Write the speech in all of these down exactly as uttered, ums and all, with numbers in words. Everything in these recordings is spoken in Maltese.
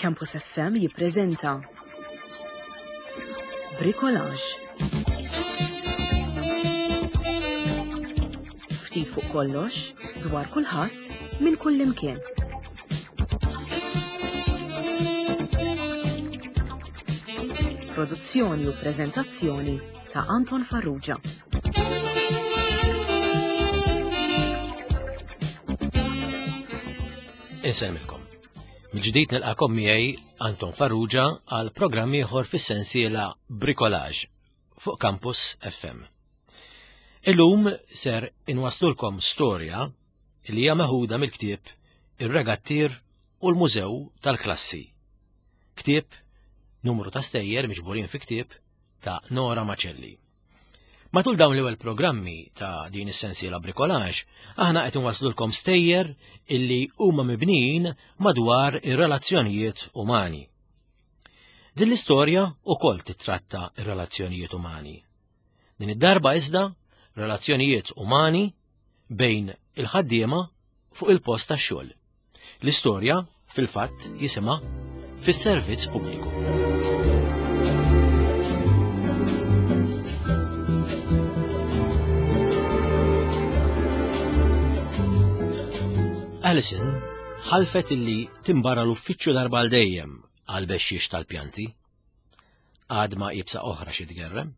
Campus F M jippreżenta Bricolage. Ftit fuq kollox, dwar kulħadd, minn kull imkien. Produzzjoni u preżentazzjoni ta' Anton Farrugia. Insellmilkom. Mill-ġdid nilqakom miegħi Anton Farrugia għal programm ieħor fis-sensiela Bricolage fuq Campus F M. Illum ser inwaslulkom storja li hija meħuda mill-ktieb Ir-Regattier u l-Mużew tal-Klassi. Ktieb numru ta' stejjer miġburin fi ktieb ta' Nora Macelli. Matul dawn l-ewwel programmi ta' din is-sensiela Bricolage, aħna qed inwaslulkom stejjer illi huma mibnijin madwar ir-relazzjonijiet umani. Din l-istorja ukoll titratta ir-relazzjonijiet umani. Din id-darba iżda relazzjonijiet umani bejn il-ħaddiema fuq il-post tax-xogħol. L-istorja fil-fatt jisimha Fis-Servizz Pubbliku. Alison ħalfet illi timbara l-uffiċċju darba għal dejjem għal bexxiex tal-pjanti. Għadma ibsa oħra xi tgerrem.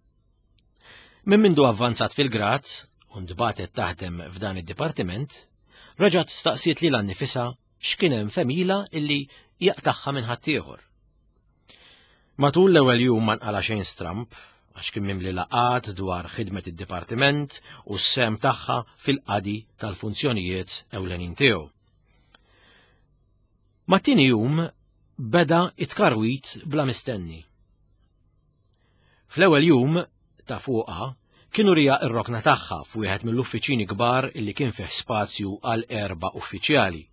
Minn mindu avvanzat fil-grad u ntbatet taħdem f'dan id-dipartiment, reġgħet staqsiet lilha nnifisha x'kien hemm f'għemilha illi jaqtagħha minn ħaddieħor. Matul l-ewwel jum ma nqala xejn stramp, għax kien mimli laqat dwar ħidmet id-dipartiment u s-sehem tagħha fil-qadi tal-funzjonijiet ewlenin tiegħu. Mat-tieni jum beda it-tkarwit bla mistenni. Fl-ewwel jum ta' fuqha kienu rija r-rokna tagħha f'wieħed mill-uffiċini kbar illi kien fih spazju għal erba' uffiċjali.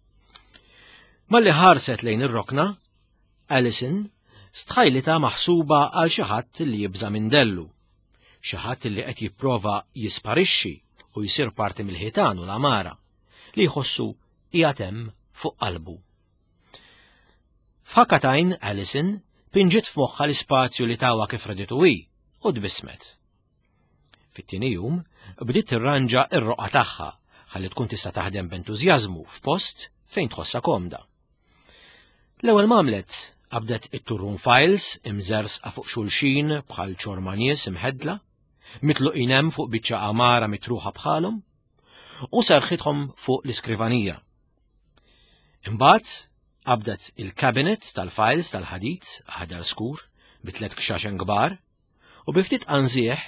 Malli ħarset lejn ir-rokna, Alison stħajlita maħsuba għal xi ħadd li jibża' minn dellu, xi ħadd li qed jipprova jisparixxi u jsir parti mill-ħitan u l-amara li jħossu qiegħed hemm fuq qalbu. F'ħakka t'għajn Alison pinġiet f'moħħha l-ispazju li tawha kif raditu hi u tbissmet. Fit-tieni jum bdiet tirranġa r-roqgħa tagħha ħalli tkun tista' taħdem b'entużjażmu f'post fejn tħossha komda. L-ewwel m'għamlet qabdet it-turrun files imżersqa fuq xulxin bħal ċorma nies imħeddla, mitluqin hemm fuq biċċa għamara mitruħa bħalhom, u serħithom fuq l-iskrivanija. Imbagħad qabdet il-cabinet tal-files tal-ħadid aħdar skur bi tliet kxaxen kbar u bi ftit qanżieħ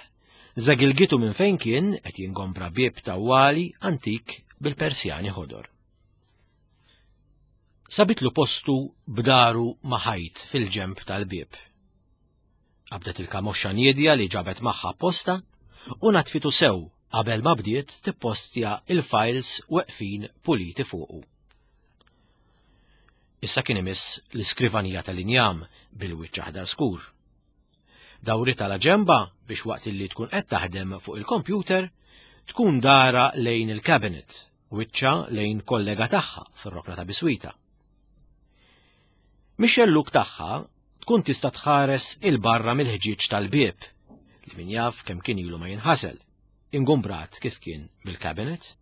żagilgitu minn fejn kien qed jingombra bieb tawwali antik bil-persjani ħodor. Sabitlu postu b'daru ma' ħajt fil-ġemp tal-bieb. Qabdet il-kamoxxa niedja li ġabet magħha apposta u natfitu sew qabel ma bdiet tippostja il-files weqfin puliti fuqu. Issa kien imiss l-iskrivanija tal-injam bil-wiċċ aħdar skur. Dawritha la ġemba biex waqt li tkun qed taħdem fuq il-kompjuter tkun dara lejn il-cabinet, wiċċa lejn kollega tagħha fir-rokna ta' biswita. Mix-xellug tagħha tkun tista' tħares il-barra mill-ħġieġ tal-bieb li min jaf kemm kien ilu ma jinħasel, ingumbrat kif kien bil-cabinet.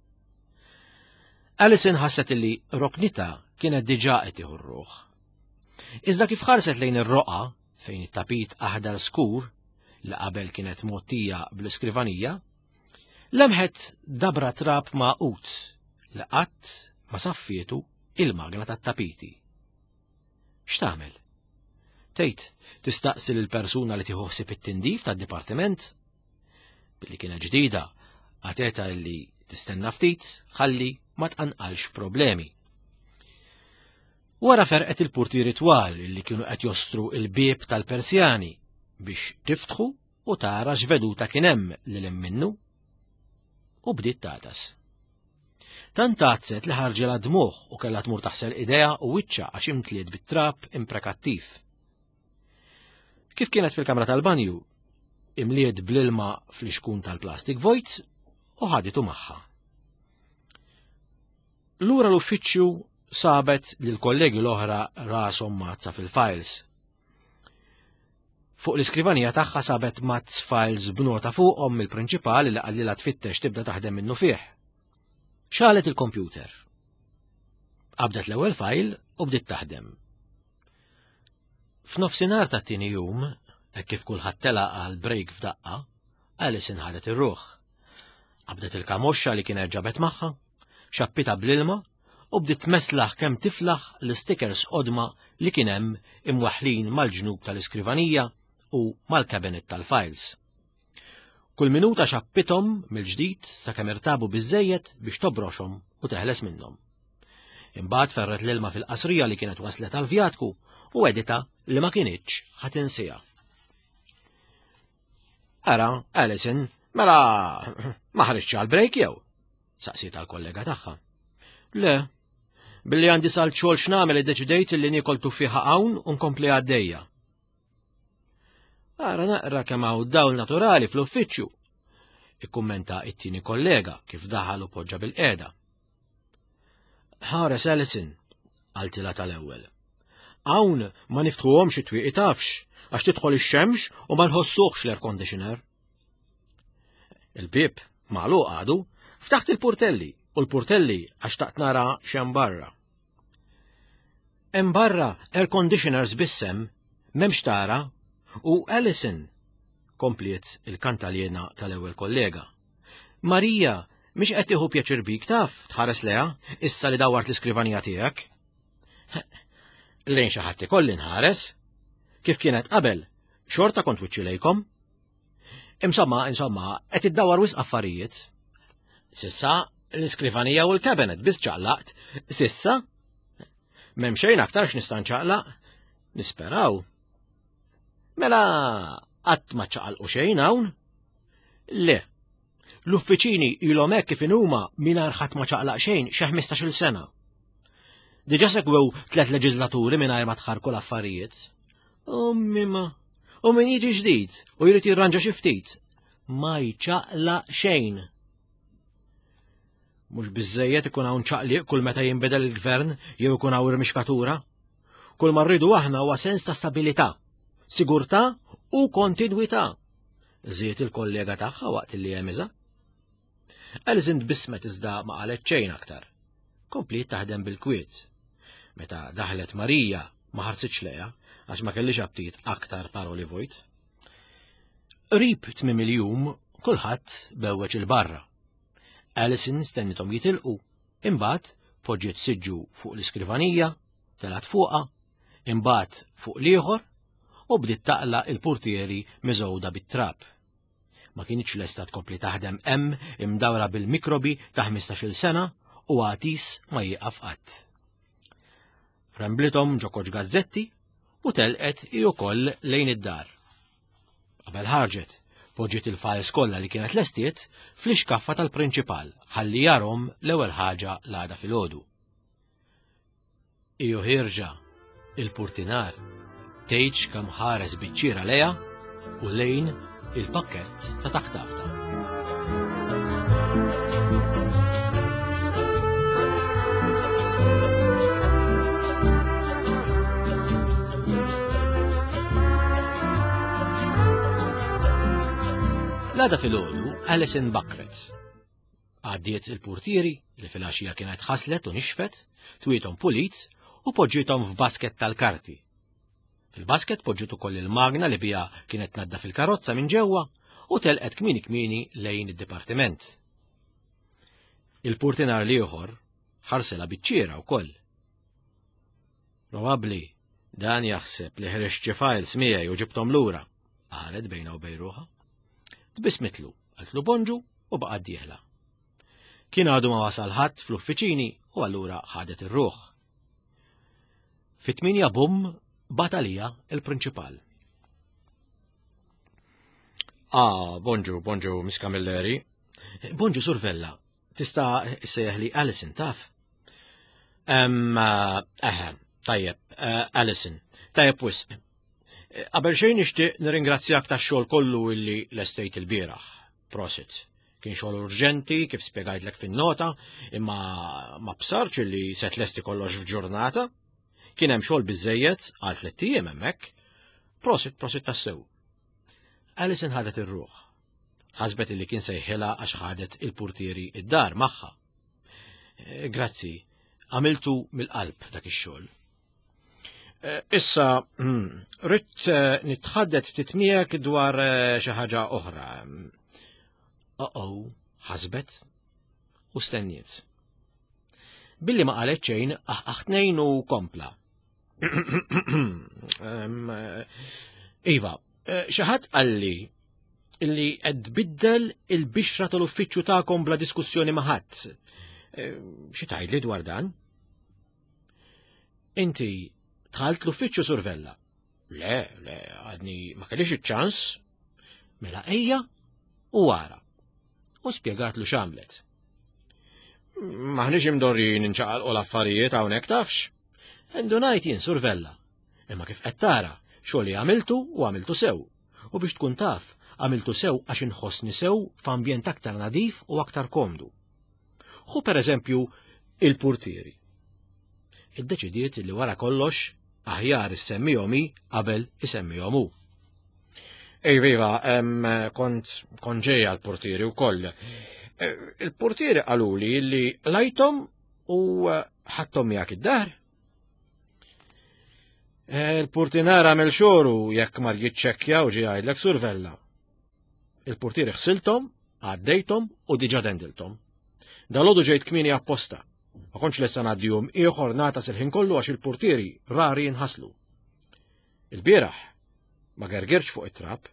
Alison ħasset illi roknita kienet diġà qed tieħu r-ruħ. Iżda kif ħarset lejn ir-roqa fejn it-tapit aħdar skur li qabel kienet mgħottija bl-iskrivanija, lemħet dabra trab magħqud li qatt ma saffietu il-magna tat-tapiti. X'tagħmel? Tgħid tistaqsi lil persuna li tieħu ħsieb it-tindif tad-dipartiment? Billi kienet ġdida, għateta li tistenna ftit ħalli ma tqanqalx problemi. Wara ferqet il-portieri twal li kienu qed jostru il-bieb tal-Persjani biex tiftħu u tara x'veduta kien hemm lil minnu u bdiet tagħtas. Tant għattset li ħarġilha dmugħ u kellha tmur taħsel idejha u wiċċha għax imtliet bit-trab imprekattiv. Kif kienet fil-kamra tal-banju, imliet bl-ilma fl-ixkun tal-plastik vojt u ħaditu magħha. Lura l-uffiċċju sabet li l-kollegi l-oħra rashom mazza fil-files. Fuq l-iskrivanija tagħha sabet mazz files b'nota fuqhom mill-prinċipal li qalilha tfittex tibda taħdem minnu fih. Xalet il-kompjuter. Qabdet l-ewwel file u bdiet taħdem. F'nofsinhar tat-tieni jum, hekk kif kulħadd telaq għal break f'daqqa, Alison ħadet ir-ruħ. Qabdet il-kamoxxa li kienet ġabet magħha, xappita bl-ilma u bdiet tmeslaħ kemm tiflaħ l-stickers qodma li kien hemm imwaħħlin mal-ġnub tal-iskrivanija u mal-kabinet tal-files. Kull minuta xappithom mill-ġdid sakemm irtabu biżejjed biex tobroxhom u teħles minnhom. Imbagħad ferret l-ilma fil-qasrija li kienet waslet għal-vjatku u għeditha li ma kinitx ħa tinsiha. Ara, Alison, mela ma ħriġtx għal-break jew? Saqsiet għal-kollega tagħha. Le, billi għandi salt xogħol x'nagħmel iddeċidejt li niekol tuffieħa hawn u nkompli għaddejja. Ara naqra kemm hawn dawl naturali fl-uffiċċju, ikkummenta it-tieni kollega kif daħal u poġġa bil-qiegħda. Ħares Alison, qaltilha tal-ewwel. Hawn ma niftħuhomx it-twieqi tafx, għax tidħol ix-xemx u ma nħossuhx l-air conditioner. Il-bib magħluq għadu, ftaħt il-portelli u l-portelli għax taqt nara x'hemm barra. Hemm barra air conditioners biss hemm, m'hemmx tara, u Alison, kompliet il-kantaljena tal-ewwel kollega. Marija, mhix qed tieħu pjaċir bik taf, tħares leha, issa li dawart l-iskrivanija tiegħek. Lejn xi ħadd ikolli nħares. Kif kienet qabel, xorta kont wiċċi lejkom. Insomma, insomma, qed iddawar wisq affarijiet. Sissa l-iskrivanija u l-kabinet biss ċaqlaqt. Sissa m'hemm xejn aktar x'nista' nċaqlaq. Nisperaw. Mela qatt ma ċaqalqu xejn hawn? Le. L-uffiċini ilhom hekk kif inhuma mingħajr ħadd ma ċaqlaq xejn xi ħmistax-il sena. Diġà segwew tliet leġislaturi mingħajr ma tħarku l-affarijiet. Ummi ma, u min jiġi ġdid u jrid jirranġa xi ftit, ma jċaqlaq xejn. Mhux biżejjed ikun hawn ċaqliq kull meta jinbidel il-gvern jew ikun hawn irmixkatura. Kull ma rridu aħna huwa sens ta' stabilità, sigurtà u kontinwità. Żied il-kollega tagħha waqt li jemiża. Alison tbissmet iżda ma qalet xejn aktar. Kompliet taħdem bil-kwiet. Meta daħlet Marija ma ħarsitx lejha għax ma kellix aptit aktar paroli vojt. Qrib tmiem il-jum kulħadd bewweġ il-barra. Alison stennithom jitilqu, imbagħad poġġiet siġġu fuq l-iskrivanija, telgħet fuqha, imbagħad fuq l-ieħor u bdiet taqla il-portieri miżgħuda bit-trab. Ma kienx lesta tkompli taħdem hemm imdawra bil-mikrobi ta' ħmistax-il sena u għatis ma jieqaf qatt. Remblithom ġo koċ gazzetti u telqet hi wkoll lejn id-dar. Qabel ħarġet, poġġiet il-files kollha li kienet lestiet fl-ixkaffa tal-prinċipal ħalli jarhom l-ewwel ħaġa l-għada filgħodu. Iju ħirġa il-purtinar tgħidx kemm ħares biċ-ċiera lejha u lejn il-pakkett ta' taħtabta. L-għada filgħodu Alison bakret. Għaddiet il-portieri li filgħaxija kienet ħaslet u nixfet, twiethom pulit u poġġiethom f'basket tal-karti. Fil-basket poġġiet ukoll il-magna li biha kienet tnaddaf fil-karozza minn ġewwa u telqet kmieni kmieni lejn id-dipartiment. Il-purtinar l-ieħor ħarsela biċ-ċiera wkoll. Probabbli dan jaħseb li ħriġt xi files miegħi u ġibthom lura, qalet bejna u bejn ruħha. Tbissmitlu, qaltlu bonġu u baqgħet dieħla. Kien għadu ma wasal ħadd fl-uffiċini u allura ħadet ir-ruħ. Fit-tminja bum bagħat għalija il-prinċipal. Ah, bonġu, bonġu, Miss Camilleri. Bonġu, Sur Vella. Tista' issejjaħli Alison, taf? Em, eħe, tajjeb, eh, Alison. Tajjeb wisq. Qabel xejn nixtieq nirringrazzjak tax-xogħol kollu illi lestejt il-bieraħ. Prosit. Kien xogħol urġenti, kif spjegajtlek fin-nota, imma ma bsartx li se tlesti kollox f'ġurnata. Kien hemm xogħol biżejjed għal tliet ijiem hemmhekk. Prosit, prosit tassew. Alison ħadet ir-ruħ. Ħasbet li kien sejħilha għax ħadet il-portieri id-dar magħha. Eh, grazzi, għamiltu mill-qalb dak ix-xogħol. Eh, issa, hmm, ridt eh, nitħaddet ftit miegħek dwar xi ħaġa oħra. Oh-oh, ħasbet u stenniet. Billi ma qalet xejn, aħ u kompla. Iva, xi ħadd qalli illi qed tbiddel il-bixra tal-uffiċċju tagħkom bla diskussjoni ma' ħadd. Xi tgħidli dwar dan? Inti dħalt l-uffiċċju Sur Vella. Le, le, għadni ma kellix iċ-ċans. Mela ejja u wara. U spjegatlu x'għamlet. Maħniex imdorrijin inċaqalqu l-affarijiet hawnhekk tafx. Indunajt jien Sur Vella. Imma kif qed tara, xogħol li għamiltu u għamiltu sew. U biex tkun taf, għamiltu sew għax inħossni sew f'ambjent aktar nadif u aktar komdu. Ħu per eżempju il-portieri. Iddeċidiet li wara kollox aħjar issemmihom hi qabel isemmihom hu. Ej viva, kont kont ġejja l-portieri wkoll. Il-portieri qaluli li lajthom u ħadthom miegħek id-dar. Il-portinar għamel xogħlu jekk mar jiċċekkja u ġie jgħidlek Sur Vella. Il-portieri ħsilthom, għaddejthom u diġà dendilthom. Dalgħodu ġejt kmieni apposta. Ma kontx lesta ngħaddi jum ieħor nagħtas il-ħin kollu għax il-portieri rari jinħaslu. Il-bieraħ ma gergirx fuq it-trab.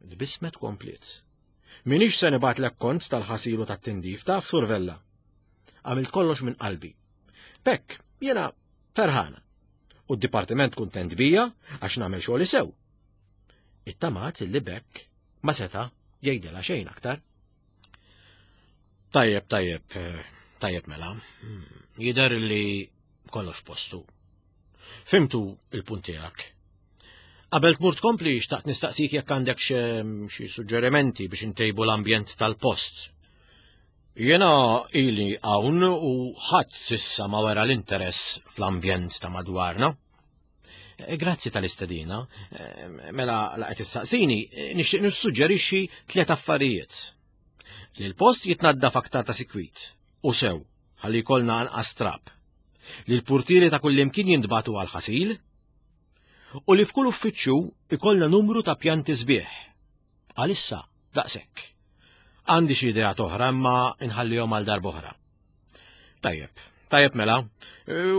Tbissmet kompliet. Minix se nibgħatlek kont tal-ħasil u tat-tindif taf Sur Vella. Għamilt kollox minn qalbi. B'hekk, jiena ferħana. U d-dipartiment kuntent bija għax nagħmel xogħli sew. Ittamat li b'hekk ma seta' jgħidilha xejn aktar. Tajjeb, tajjeb, tajjeb mela. Jidher li kollox postu. Fhimtu il-punt tiegħek. Qabel tmur tkompli xtaqt nistaqsik jekk għandek xi suġġerimenti biex intejbu l-ambjent tal-post. Jiena ili hawn u ħadd s'issa ma wera l-interess fl-ambjent ta' madwarna. Grazzi tal-istedina. Mela la qed issaqsini, nixtieq nissuġġerixxi tliet affarijiet. Li l-post jitnaddaf aktar ta' sikwit u sew ħalli jkollna anqas trab. Li l-portieri ta' kullimkien jintbagħtu għal ħasil u li f'kull uffiċċju ikollna numru ta' pjanti sbieħ. Għalissa daqshekk. Għandi xi idea oħra imma inħallihom għal darb'oħra. Tajjeb, tajjeb mela.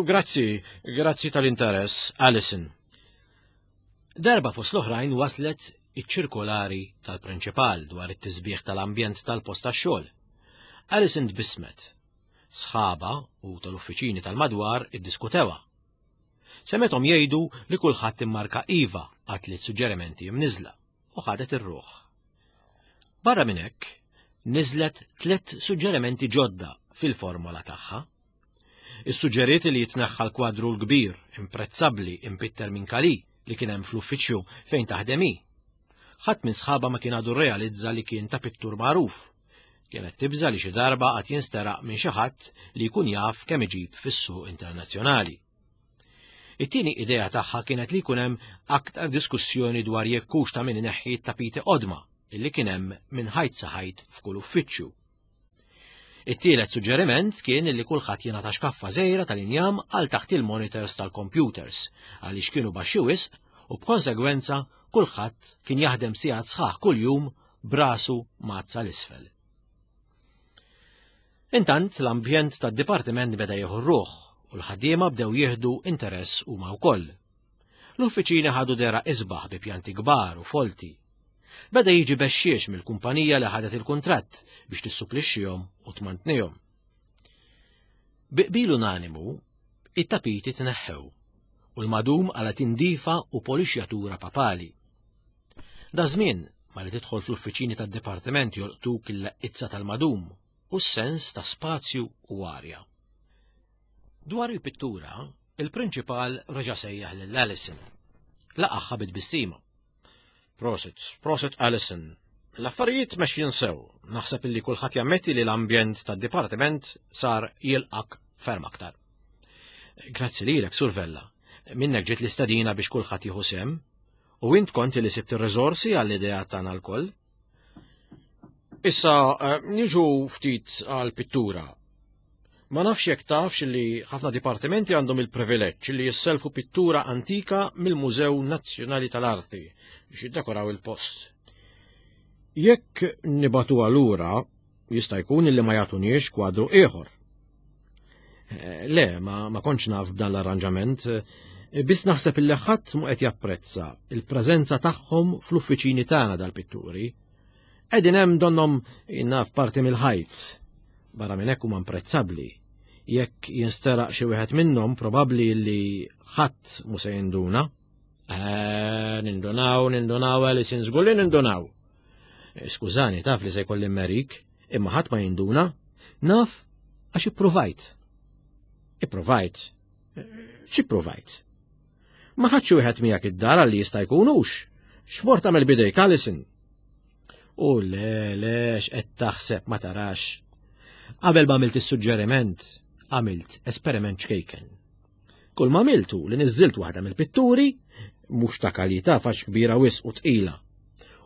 Grazzi, grazzi tal-interess, Alison. Darba fost l-oħrajn waslet iċ-ċirkolari tal-prinċipal dwar it-tisbieħ tal-ambjent tal-post tax-xogħol. Alison tbissmet. Sħaba u tal-uffiċini tal-madwar iddiskutewha. Semgħethom jgħidu li kulħadd immarka iva għat tliet suġġerimenti mniżla u ħadet ir-ruħ. Barra minn hekk, niżlet tliet suġġerimenti ġodda fil-formola tagħha. Issuġġeriet li jitneħħa l-kwadru l-kbir imprezzabbli impitter minn Kali li kien hemm fl-uffiċċju fejn taħdem hi. Ħadd minn sħaba ma kien għadu realizza li kien ta' pittur magħruf. Kienet tibża li xi darba qatt jinsteraq minn xi ħadd li jkun jaf kemm iġib fis-suq internazzjonali. It-tieni idea tagħha kienet li jkun hemm aktar diskussjoni dwar jekk hux ta' min ineħħi t-tapiti qodma illi kien hemm minn ħajt sa ħajt f'kull uffiċċju. It-tielet suġġeriment kien li kulħadd jingħata xkaffa żgħira tal-injam għal taħt il-monitors tal-computers għaliex kienu baxxi wisq u b'konsegwenza kulħadd kien jaħdem sigħat sħaħ kuljum brasu mazza l-isfel. Intant l-ambjent tad-dipartiment beda jieħu ruħ u l-ħaddiema bdew jieħdu interess huma wkoll. L-uffiċini ħadu dehra isbaħ bi pjanti kbar u folti. Beda jiġi bexxiex mill-kumpanija li ħadet il-kuntratt biex tissuplixxihom u tmantnihom. Bi qbil unanimu, it-tapiti tneħħew u l-madum għala tindifa u polixjatura papali. Da żmien ma li tidħol fl-uffiċini tad-dipartiment jolqtuk il-laqizza tal-madum u s-sens ta' spazju u arja. Dwar il-pittura, il-prinċipal reġa' sejjaħ lil Alison. Laqagħha bit-tbissima. Prosit, prosit Alison. L-affarijiet mexjin sew. Naħseb illi kulħadd jammetti li l-ambjent tad-dipartiment sar jilqak ferm aktar. Grazzi lilek, Sur Vella. Minnek ġiet l-istedina biex kulħadd jieħu sehem, u int kont li sibt ir-riżorsi għall-idea tagħna lkoll. Issa eh, niġu ftit għall-pittura. Ma nafx jekk tafx li ħafna dipartimenti għandhom il-privileġġ li jisselfu pittura antika mill-Mużew Nazzjonali tal-Arti biex jiddekoraw il-post. Jekk nibagħtuha lura, jista' jkun li ma jagħtuniex kwadru ieħor. Eh, le, ma, ma kontx naf b'dan l-arranġament, eh, biss naħseb illi ħadd mu qed japprezza il-preżenza tagħhom fl-uffiċini tagħna dal-pitturi. Qegħdin hemm donnhom naf parti mill-ħajt. Barra minn hekk huma imprezzabbli. Jekk jinsteraq xi wieħed minnhom probabbli li ħadd mu se jinduna. Eh, nindunaw, nindunaw, Alison, żgur li nindunaw. Eh, skużani, taf li se jkolli merik, imma ħadd ma jinduna. Naf għax ippruvajt. Ippruvajt. Eh, x'ipprovajt? Ma ħadx wieħed miegħek id-dar li jista' jkunux. X'mort tagħmel bidejk, Alison? U le, le, x'qed taħseb ma tarax. Qabel ma għamilt is-suġġeriment, għamilt esperiment ċkejken. Kull ma għamiltu li niżżilt waħda mill-pitturi, mhux ta' kwalità fax kbira wisq u tqila.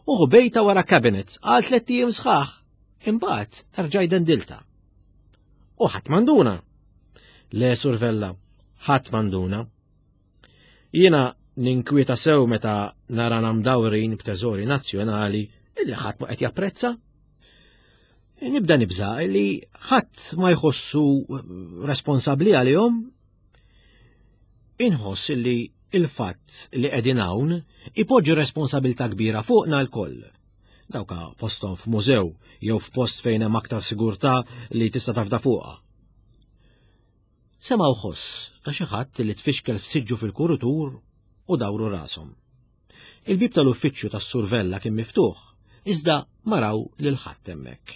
U ħbejtha wara cabinet għal tliet ijiem sħaħ. Imbagħad erġajt dendiltha. U ħadd m'induna. Le, Sur Vella, ħadd m'induna. Jiena ninkwieta sew meta narana mdawrin b'teżori nazzjonali illi ħadd ma qed japprezza. Nibda nibża li ħadd ma jħossu responsabbli għalihom. Inħoss li il-fatt li qegħdin hawn ipoġġi responsabilità kbira fuqna lkoll. Dawka postom f'mużew jew f'post fejn hemm aktar sigurtà li tista' tafda fuqha. Semgħu ħoss ta' xi ħadd li tfixkel f'siġġu fil-kuritur u dawru rashom. Il-bib tal-uffiċċju tas-Sur Vella kien miftuħ, iżda ma raw lil ħadd hemmhekk.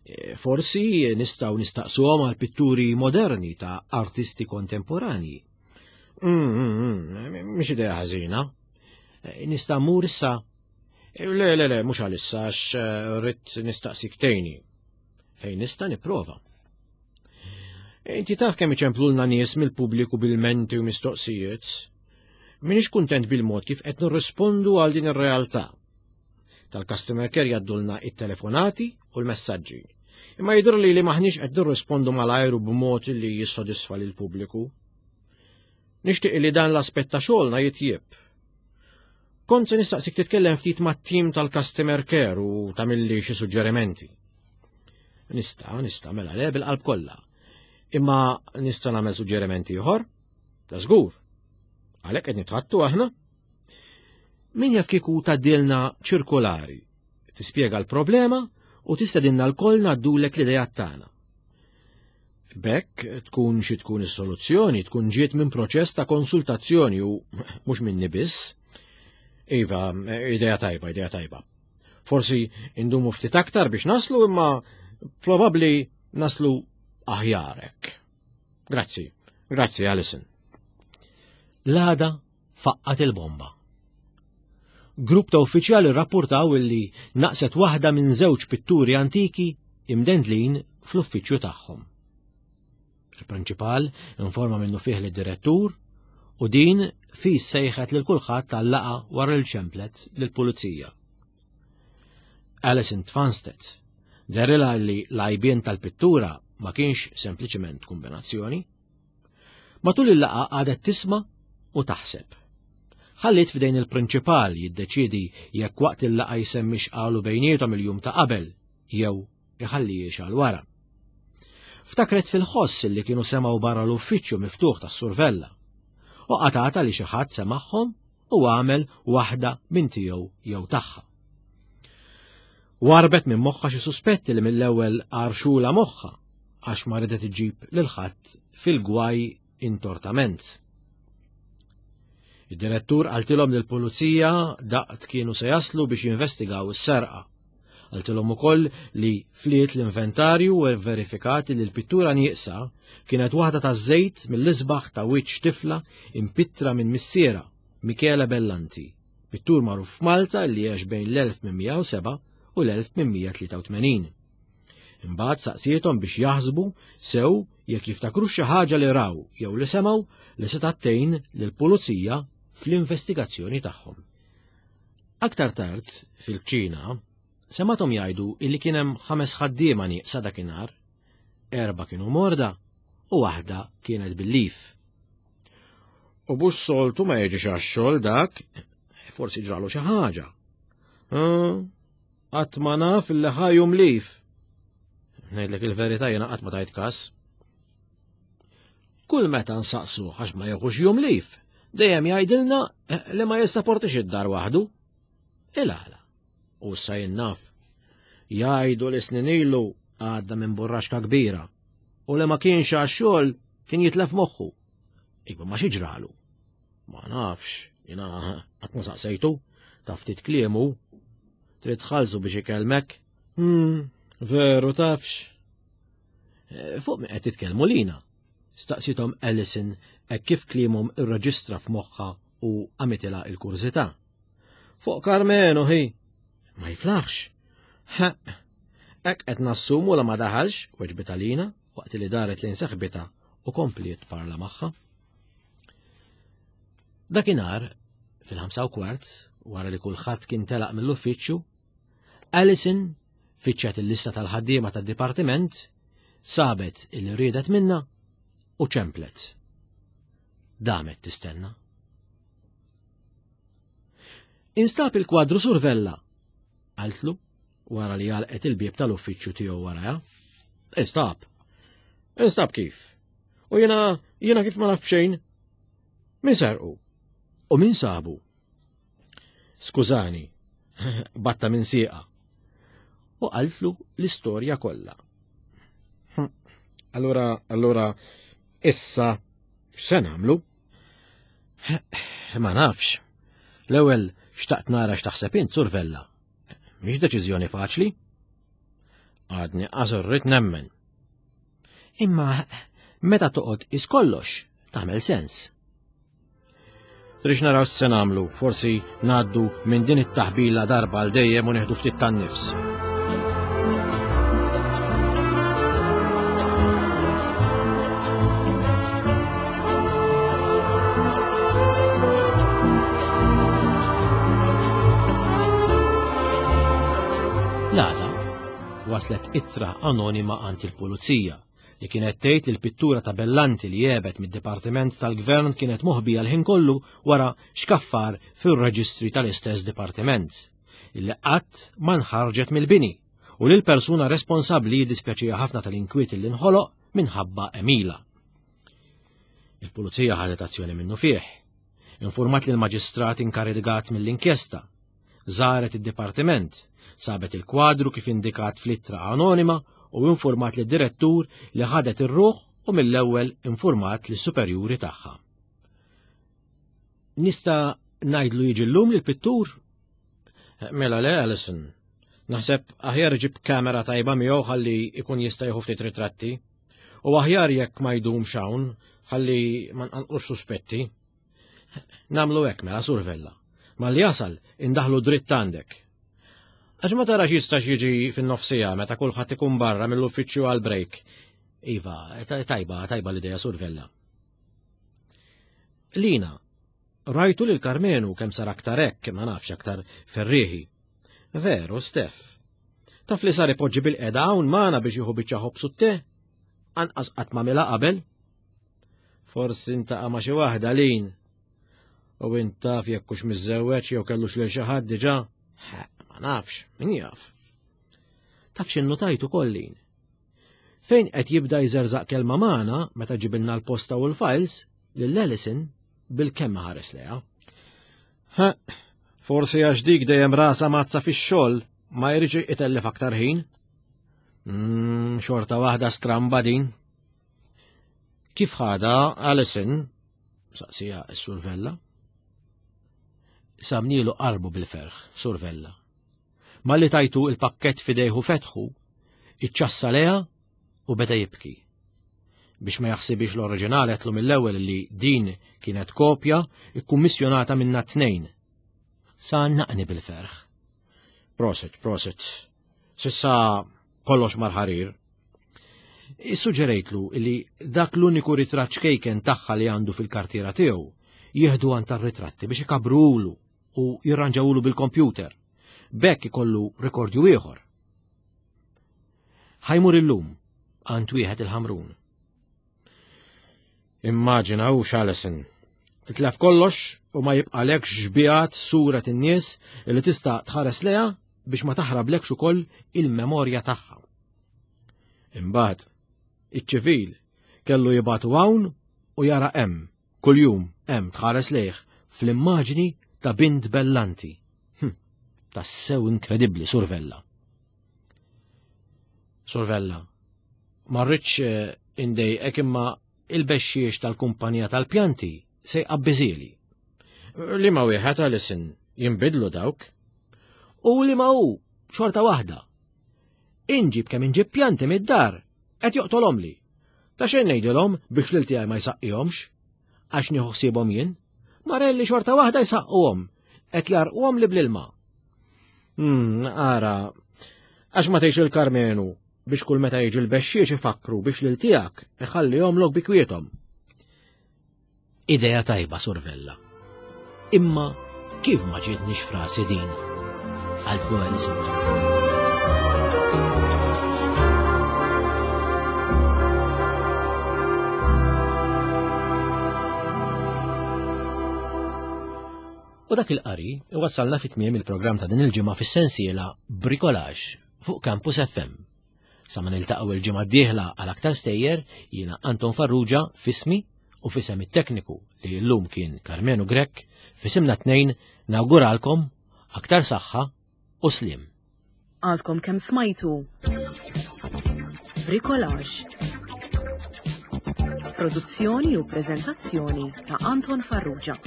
E, forsi nistgħu nistaqsuhom għal pitturi moderni ta' artisti kontemporanji. Mm, mm, mm, mhix idea ħażina. E, nista' mmur issa? E, le, le, le, mhux għalissa għax rrid nistaqsik tgħinni. Fejn nista' nipprova. Inti taf kemm iċemplulna nies mill-pubbliku b'ilmenti u mistoqsijiet. M'iniex kuntent bil-mod kif qed nirrispondu għal din ir-realtà. Tal-customer care jgħaddulna it-telefonati u l-messaġġi. Imma jidher li li maħniex qed nirrispondu malajr u b'mod li jissodisfa lil pubbliku. Nixtieq li dan l-aspett ta' xogħolna jitjieb. Kont se nistaqsik titkellem ftit mat-tim tal-customer care u tagħmilli xi suġġerimenti. Nista', nista' mela le bil-qalb kollha. Imma nista' nagħmel suġġerimenti ieħor? Ta' żgur. Għalhekk qed nitħaddtu aħna. Min jaf kieku tgħaddilna ċirkolari, tispjega l-problema u tistedinna lkoll ngħaddulek l-idea tagħna. B'hekk tkun xi tkun is-soluzzjoni, tkun ġiet minn proċess ta' konsultazzjoni u mhux minni biss. Iva, idea tajba, idea tajba. Forsi indumu ftit aktar biex naslu imma probabbli naslu aħjar hekk. Grazzi, grazzi Alison. L-għada faqqat il-bomba. Grupp ta' uffiċjali rrapportaw illi naqset waħda minn żewġ pitturi antiki imdendlin fl-uffiċċju tagħhom. Il-prinċipal informa minnufih lid-direttur u din fis sejħet lil kulħadd tal-laqgħa wara li ċemplet lill-pulizija. Alison tfanstet, dehrilha li l-għajbien tal-pittura ma kienx sempliċement kombinazzjoni. Matul il-laqgħa għadet tisma' u taħseb. Ħallit f'idejn il-prinċipal jiddeċidi jekk waqt il-laqgħa jsemmix qalu bejniethom il-jum ta' qabel jew iħallihiex għal wara. Ftakret fil-ħoss li kienu semgħu barra l-uffiċċju miftuħ tas-Sur Vella u qatgħetha li xi ħadd semagħhom u għamel waħda minn tiegħu jew tagħha. Warbet minn moħħa xi suspetti li mill-ewwel għarxula moħħa għax ma ridet iġġib lil ħadd fil-gwaj intortament. Id-direttur qaltilhom li l-pulizija daqt kienu se jaslu biex jinvestigaw is-serqa. Qaltilhom ukoll li fliet l-inventarju u verifikat li l-pittura nieqsa kienet waħda ta' żejt mill-isbaħ ta' wiċċ tifla impittra minn missiera, Michele Bellanti, Pittur magħruf f'Malta li għex bejn l-elf tmien mija u sebgħa u l-elf tmien mija tlieta u tmenin. Imbagħad saqsiethom biex jaħsbu sew jekk jiftakru xi ħaġa li raw jew li semgħu li setgħet tgħin lill-pulizija fl-investigazzjoni tagħhom. Aktar tard fil-kċina semathom jgħidu illi kien hemm ħames ħaddiema nieqsa dakinhar, erba' kienu morda u waħda kienet bil-lif. U bux soltu ma jiġix għax-xogħol dak, forsi ġralu xi ħaġa. Qatt ma naf illi ħajum lif. Ngħidlek il-verità jiena qatt ma tajt każ. Kull meta nsaqsu għax ma jeħux jum lif, dejjem jgħidilna li ma jissaportix id-dar waħdu. Il-għala. U issa jien naf. Jgħidu li snin ilu għadda minn burraxka kbira u li ma kienx għax-xogħol kien jitlef moħħu. Iva ma xi ġralu. Ma nafx, jiena qatt ma saqsejtu, taf ftit kliemu, trid tħallsu biex ikellmek. Hmm, veru tafx. Fuq min qed titkellmu lina? Staqsithom Alison hekk kif kliemhom irreġistra f'moħħha u għamitilha il-kurżità. Fuq Karmenu hi. Ma jiflaħx. Ha, hekk qed nassumu la ma daħalx, weġbitha Lina waqt li daret lejn seħbitha u kompliet parla magħha. Dakinhar, fil-ħamsa u kwart, wara li kulħadd kien telaq mill-uffiċċju, Alison fittxet il-lista tal-ħaddiema tad-dipartiment, sabet il riedet minna u ċemplet. Damet tistenna. Instab il-kwadru Sur Vella, qaltlu wara li għalqet il-bieb tal-uffiċċju tiegħu warajha. Instab. Instab kif? U jiena, jiena kif ma naf xejn? Min serqu? U min sabu? Skużani, batta minn sieqa. U qaltlu l-istorja kollha. Hm. Allura, allura, issa x'se nagħmlu? Ma nafx. L-ewwel xtaqt nara x'taħseb int, Sur Vella. Mhix deċiżjoni faċli. Għadni qas irrid nemmen. Imma meta toqgħod is kollox tagħmel sens. Trix naraw x'se nagħmlu, forsi ngħaddu minn din it-taħbila darba għal dejjem u nieħdu ftit tan-nifs. L-għada waslet ittra anonima għand il-pulizija li kienet tgħid li l-pittura ta' Bellanti li għebet mid-Dipartiment tal-Gvern kienet moħbija l-ħin kollu wara xkaffar fir-reġistri tal-istess dipartiment, illi qatt ma nħarġet mill-bini u li l-persuna responsabbli jiddispjaċiha ħafna tal-inkwiet li nħoloq minħabba Emila. Il-pulizija ħadet azzjoni minnu fih, informat li l-maġistrat inkarigat mill-inkjesta, żaret id-dipartiment, sabet il-kwadru kif indikat fl-ittra anonima u informat lid direttur li ħadet ir-ruħ u mill-ewwel informat lis superjuri tagħha. Nista' ngħidlu jiġi llum lill-pittur? Mela le, Alison. Naħseb aħjar iġib kamera tajba miegħu ħalli ikun jista' jieħu ftit ritratti. U aħjar jekk ma jdumx hawn ħalli ma nqanqlux suspetti. Namlu hekk mela, Sur Vella. Malli jasal indaħlu dritt għandek. Għax ma tarax jistax jiġi fin-nofsija meta kulħadd ikun barra mill-uffiċċju għal break. Iva, tajba, tajba l-idea, Sur Vella. Lina, rajtu lil Karmenu kemm sar aktar hekk, ma nafx aktar ferrieħi. Veru, Stef. Taf li sar ipoġġi bil-qeda hawn magħna biex jieħu biċċa ħobż u te? Anqas qatt ma mela qabel. Forsi intaqa' ma' xi waħda Lin. U int taf jekk hux miżżewweġ jew kellux lil xi ħadd diġà? Ha, ma nafx, min jaf. Taf x'innutajt ukoll Lin. Fejn qed jibda jżerżaq kelma magħna meta ġibilna l-posta u l-files lil Alison bil-kemm ħares leha. Ha, forsi għax dik dejjem rasa mazza fix-xogħol ma jridx itellef aktar ħin. Mm, xorta waħda stramba din. Kif ħada Alison? Saqsija s-Sur Vella. Samnilu qalbu bil-ferħ, Sur Vella. Malli tajtu il-pakket fidejhu fetħu, iċċassa leha u beda jibki. Biex ma jaħsibix l-oriġinali għetlu mill-ewwel li din kienet kopja ikkummissjonata minna tnejn. Sa naqni bil-ferħ. Prosit, prosit. Sissa kollox marħarir. Issuġġerejtlu li dak l-uniku ritratt ċkejken tagħha li għandu fil-kartiera tiegħu jieħdu għand tar-ritratti biex ikabrulu u jirranġawulu bil-kompjuter. B'hekk ikollu rekordju ieħor. Ħajmur illum għand wieħed il-Ħamrun. Immaġina u Alison. Titlef kollox u ma jibqalekx xbihat sura in-nies li tista' tħares leha biex ma taħrablekx ukoll il-memorja tagħha. Imbagħad, iċ-ċivil kellu jibgħatu hawn u jara hemm, kuljum hemm tħares lejh fl-immaġni ta' bint Bellanti. Hm, tassew inkredibbli, Survella. Survella, ma rridx eh, indejqek imma il-bexxiex tal-kumpanija tal-pjanti se jqabbiżieli. Li ma wieħed Alison jinbidlu dawk. U li ma hu xorta waħda. Inġib kemm inġib pjanti mid-dar, qed joqtolhom li. Ta' xejn ngħidilhom biex lil tiegħi ma jsaqqihomx, għax nieħu ħsiebhom jien. Marelli xorta waħda jsaqquhom, qed jarquhom li bl-ilma. Hmm, ara, għax ma tgħix il-Karmenu biex kull meta jiġi l-bexxiex ifakru biex lil tiegħek iħallihom lok bi kwiethom. Idea tajba, Survella. Imma kif ma ġietnix frasi din? Qaltlu Alison. U dak il-qari iwassalna fit tmiem il-programm ta' din il-ġimgħa fis-sensiela Bricolage fuq Campus F M. Sa ma niltaqgħu il-ġimgħa d-dieħla għal aktar stejjer, jiena Anton Farrugia fismi u fisem it-tekniku li llum kien Karmenu Grech, fisimna tnejn nawguralkom aktar saħħa u sliem. Għadkom kemm smajtu Bricolage. Produzzjoni u preżentazzjoni ta' Anton Farrugia.